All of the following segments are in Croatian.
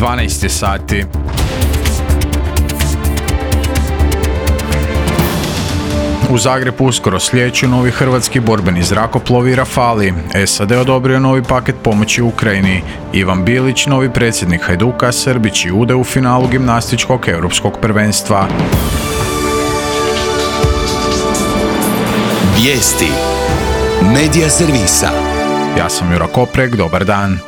12 sati. U Zagrebu uskoro slijeću novi hrvatski borbeni zrakoplovi Rafali. SAD odobrio novi paket pomoći Ukrajini. Ivan Bilić, novi predsjednik Hajduka, Srbić i Ude u finalu gimnastičkog europskog prvenstva. Vijesti Medija servisa. Ja sam Jura Koprek, dobar dan.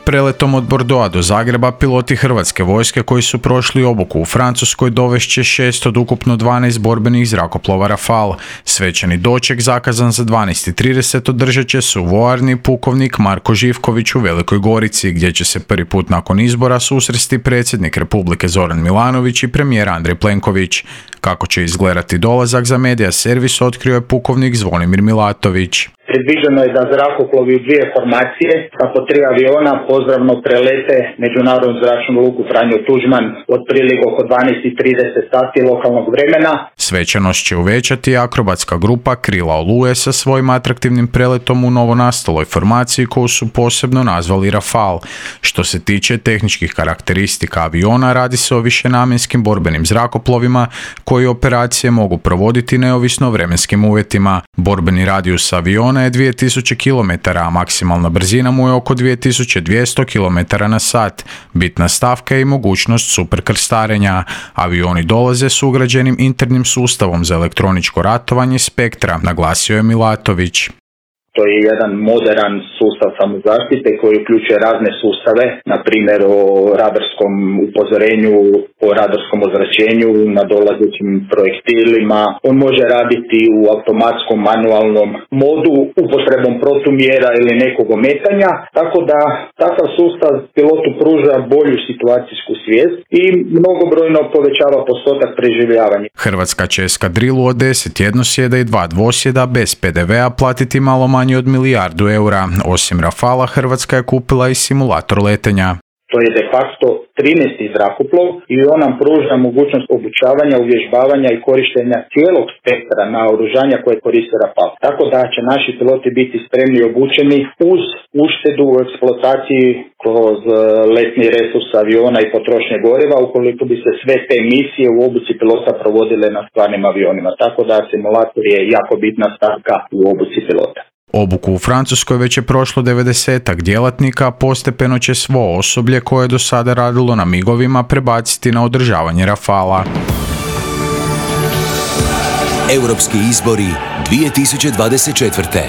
Preletom od Bordeauxa do Zagreba piloti hrvatske vojske koji su prošli obuku u Francuskoj dovešće 6 od ukupno 12 borbenih zrakoplova Rafal. Svečani doček zakazan za 12:30 održat će se u vojarni pukovnik Marko Živković u Velikoj Gorici, gdje će se prvi put nakon izbora susresti predsjednik Republike Zoran Milanović i premijer Andrej Plenković. Kako će izgledati dolazak za Medija servis otkrio je pukovnik Zvonimir Milatović. Predviđeno je da zrakoplovi u dvije formacije sa po 3 aviona pozdravno prelete Međunarodnu zračnu luku Franjo Tuđman otprilike oko 12:30 sati lokalnog vremena. Svečanost će uvećati akrobatska grupa Krila Oluje sa svojim atraktivnim preletom u novonastaloj formaciji koju su posebno nazvali Rafal. Što se tiče tehničkih karakteristika aviona, radi se o višenamjenskim borbenim zrakoplovima koji operacije mogu provoditi neovisno o vremenskim uvjetima. Borbeni radijus aviona je 2000 km, a maksimalna brzina mu je oko 2200 km na sat. Bitna stavka je i mogućnost superkrstarenja. Avioni dolaze s ugrađenim internim sustavom za elektroničko ratovanje Spektra, naglasio je Milatović. To je jedan modern sustav samozaštite koji uključuje razne sustave, na primjer o radarskom upozorenju, o radarskom ozračenju, na dolazećim projektilima. On može raditi u automatskom manualnom modu, upotrebom protumjera ili nekog ometanja, tako da takav sustav pilotu pruža bolju situacijsku svijest i mnogobrojno povećava postotak preživljavanja. Hrvatska će eskadrilu od 10 jednosjeda i 2 dvosjeda bez PDV-a platiti malo manje od milijardu eura. Osim Rafala, Hrvatska je kupila i simulator letenja. To je de facto 13. zrakoplov i on nam pruža mogućnost obučavanja, uvježbavanja i korištenja cijelog spektra naoružanja koje koristi Rafal. Tako da će naši piloti biti spremni i obučeni uz uštedu u eksploataciji kroz letni resurs aviona i potrošnje goriva ukoliko bi se sve te misije u obuci pilota provodile na stvarnim avionima. Tako da simulator je jako bitna stavka u obuci pilota. Obuku u Francuskoj već je prošlo 90-ak djelatnika, a postepeno će svo osoblje koje je do sada radilo na migovima prebaciti na održavanje Rafala. Europski izbori 2024.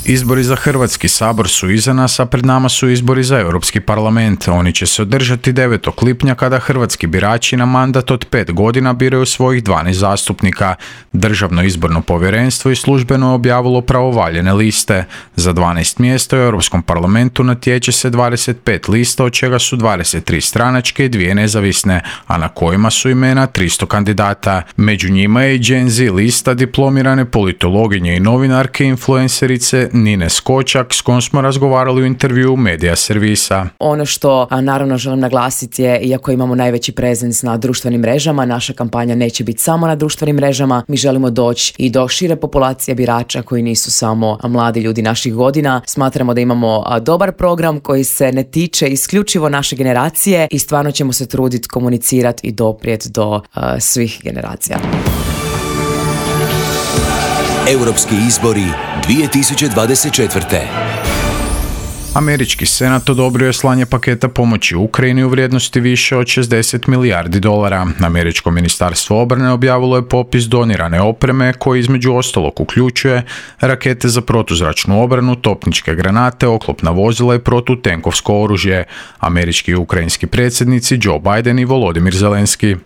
Izbori za Hrvatski sabor su iza nas, a pred nama su izbori za Europski parlament. Oni će se održati 9. lipnja kada hrvatski birači na mandat od 5 godina biraju svojih 12 zastupnika. Državno izborno povjerenstvo i službeno je objavilo pravovaljene liste. Za 12 mjesta u Europskom parlamentu natječe se 25 lista, od čega su 23 stranačke i 2 nezavisne, a na kojima su imena 300 kandidata. Među njima je i Gen Z lista diplomirane politologinje i novinarke influencerice Nine Skočak, s kojom smo razgovarali u intervjuu Medija servisa. Ono što naravno želim naglasiti je, iako imamo najveći prezens na društvenim mrežama, naša kampanja neće biti samo na društvenim mrežama. Mi želimo doći i do šire populacije birača koji nisu samo mladi ljudi naših godina. Smatramo da imamo dobar program koji se ne tiče isključivo naše generacije i stvarno ćemo se truditi komunicirati i doprijeti do svih generacija. Europski izbori 2024. Američki senat odobrio je slanje paketa pomoći Ukrajini u vrijednosti više od $60 milijardi. Američko ministarstvo obrane objavilo je popis donirane opreme koji između ostalog uključuje rakete za protuzračnu obranu, topničke granate, oklopna vozila i protutenkovsko oružje. Američki i ukrajinski predsjednici Joe Biden i Volodymyr Zelenski.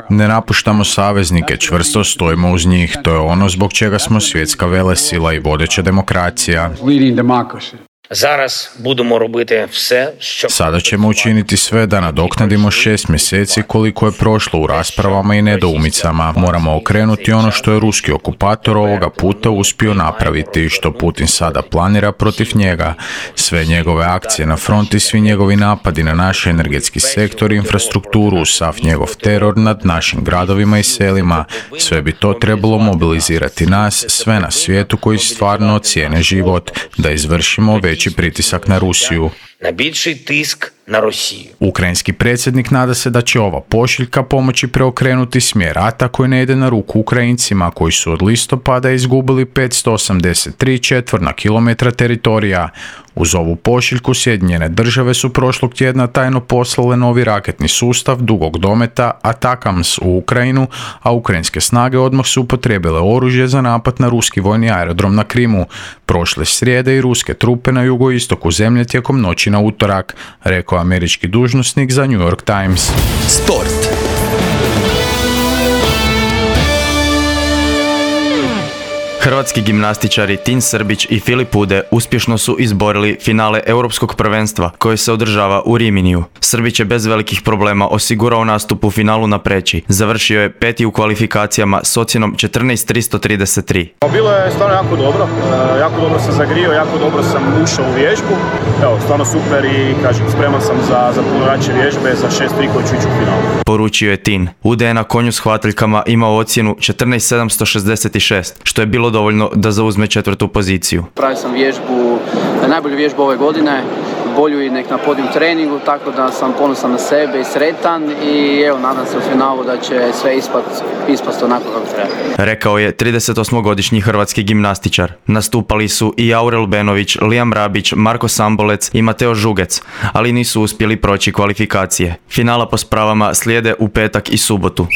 Ne napuštamo saveznike, čvrsto stojimo uz njih. To je ono zbog čega smo svjetska velesila i vodeća demokracija. Sada ćemo učiniti sve da nadoknadimo 6 mjeseci koliko je prošlo u raspravama i nedoumicama. Moramo okrenuti ono što je ruski okupator ovoga puta uspio napraviti i što Putin sada planira protiv njega. Sve njegove akcije na fronti, svi njegovi napadi na naš energetski sektor i infrastrukturu, sav njegov teror nad našim gradovima i selima. Sve bi to trebalo mobilizirati nas, sve na svijetu koji stvarno cijene život, da izvršimo veći pritisak na Rusiju. на більший тиск на Росію. Ukrajinski predsjednik nada se da će ova pošiljka pomoći preokrenuti smjer rata koji ne ide na ruku Ukrajincima koji su od listopada izgubili 583 četvorna kilometra teritorija. Uz ovu pošiljku Sjedinjene države su prošlog tjedna tajno poslale novi raketni sustav dugog dometa Atakams u Ukrajinu, a ukrajinske snage odmah su upotrijebile oružje za napad na ruski vojni aerodrom na Krimu. Prošle srijede i ruske trupe na jugoistoku zemlje tijekom noći na utorak, rekao američki dužnosnik za New York Times. Sport. Hrvatski gimnastičari Tin Srbić i Filip Ude uspješno su izborili finale Europskog prvenstva koje se održava u Riminiju. Srbić je bez velikih problema osigurao nastup u finalu na Preći. Završio je peti u kvalifikacijama s ocjenom 14.333. Bilo je stvarno jako dobro sam zagrio, jako dobro sam ušao u vježbu. Evo, stvarno super i kažem, spreman sam za puno jače vježbe, za 6-3 koji ću ići u finalu. Poručio je Tin. Ude je na konju s hvataljkama imao ocjenu 14.766, što je bilo dovoljno da zauzme četvrtu poziciju. Pravio sam vježbu, najbolju vježbu ove godine, bolju i nek na podijum treningu, tako da sam ponosan na sebe i sretan i evo, nadam se u finalu da će sve ispast onako kako treba. Rekao je 38-godišnji hrvatski gimnastičar. Nastupali su i Aurel Benović, Liam Rabić, Marko Sambolec i Mateo Žugec, ali nisu uspjeli proći kvalifikacije. Finala po spravama slijede u petak i subotu.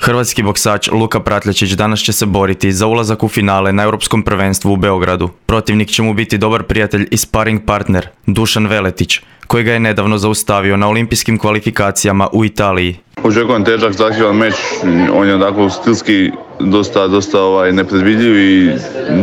Hrvatski boksač Luka Pratljačić danas će se boriti za ulazak u finale na Europskom prvenstvu u Beogradu. Protivnik će mu biti dobar prijatelj i sparring partner Dušan Veletić, koji ga je nedavno zaustavio na olimpijskim kvalifikacijama u Italiji. Očekujem težak, zahtjevan meč, on je onako stilski dosta nepredvidljiv i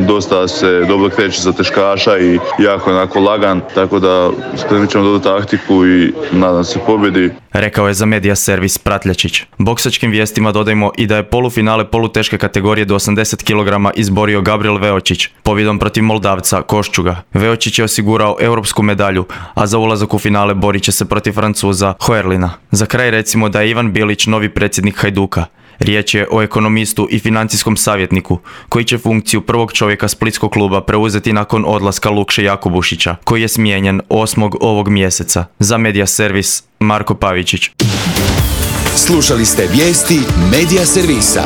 dosta se dobro kreće za teškaša i jako onako lagan, tako da spremit ćemo dobru taktiku i nadam se pobjedi. Rekao je za medija servis Pratljačić. Boksačkim vijestima dodajmo i da je polufinale poluteške kategorije do 80 kg izborio Gabriel Veočić pobjedom protiv Moldavca Koščuga. Veočić je osigurao europsku medalju, a za ulazak u finale borit će se protiv Francuza Hoerlina. Za kraj recimo da je Ivan Bilić novi predsjednik Hajduka. Riječ je o ekonomistu i financijskom savjetniku, koji će funkciju prvog čovjeka splitskog kluba preuzeti nakon odlaska Lukše Jakubušića, koji je smijenjen 8. ovog mjeseca. Za medija servis Marko Pavičić. Slušali ste vijesti medija servisa.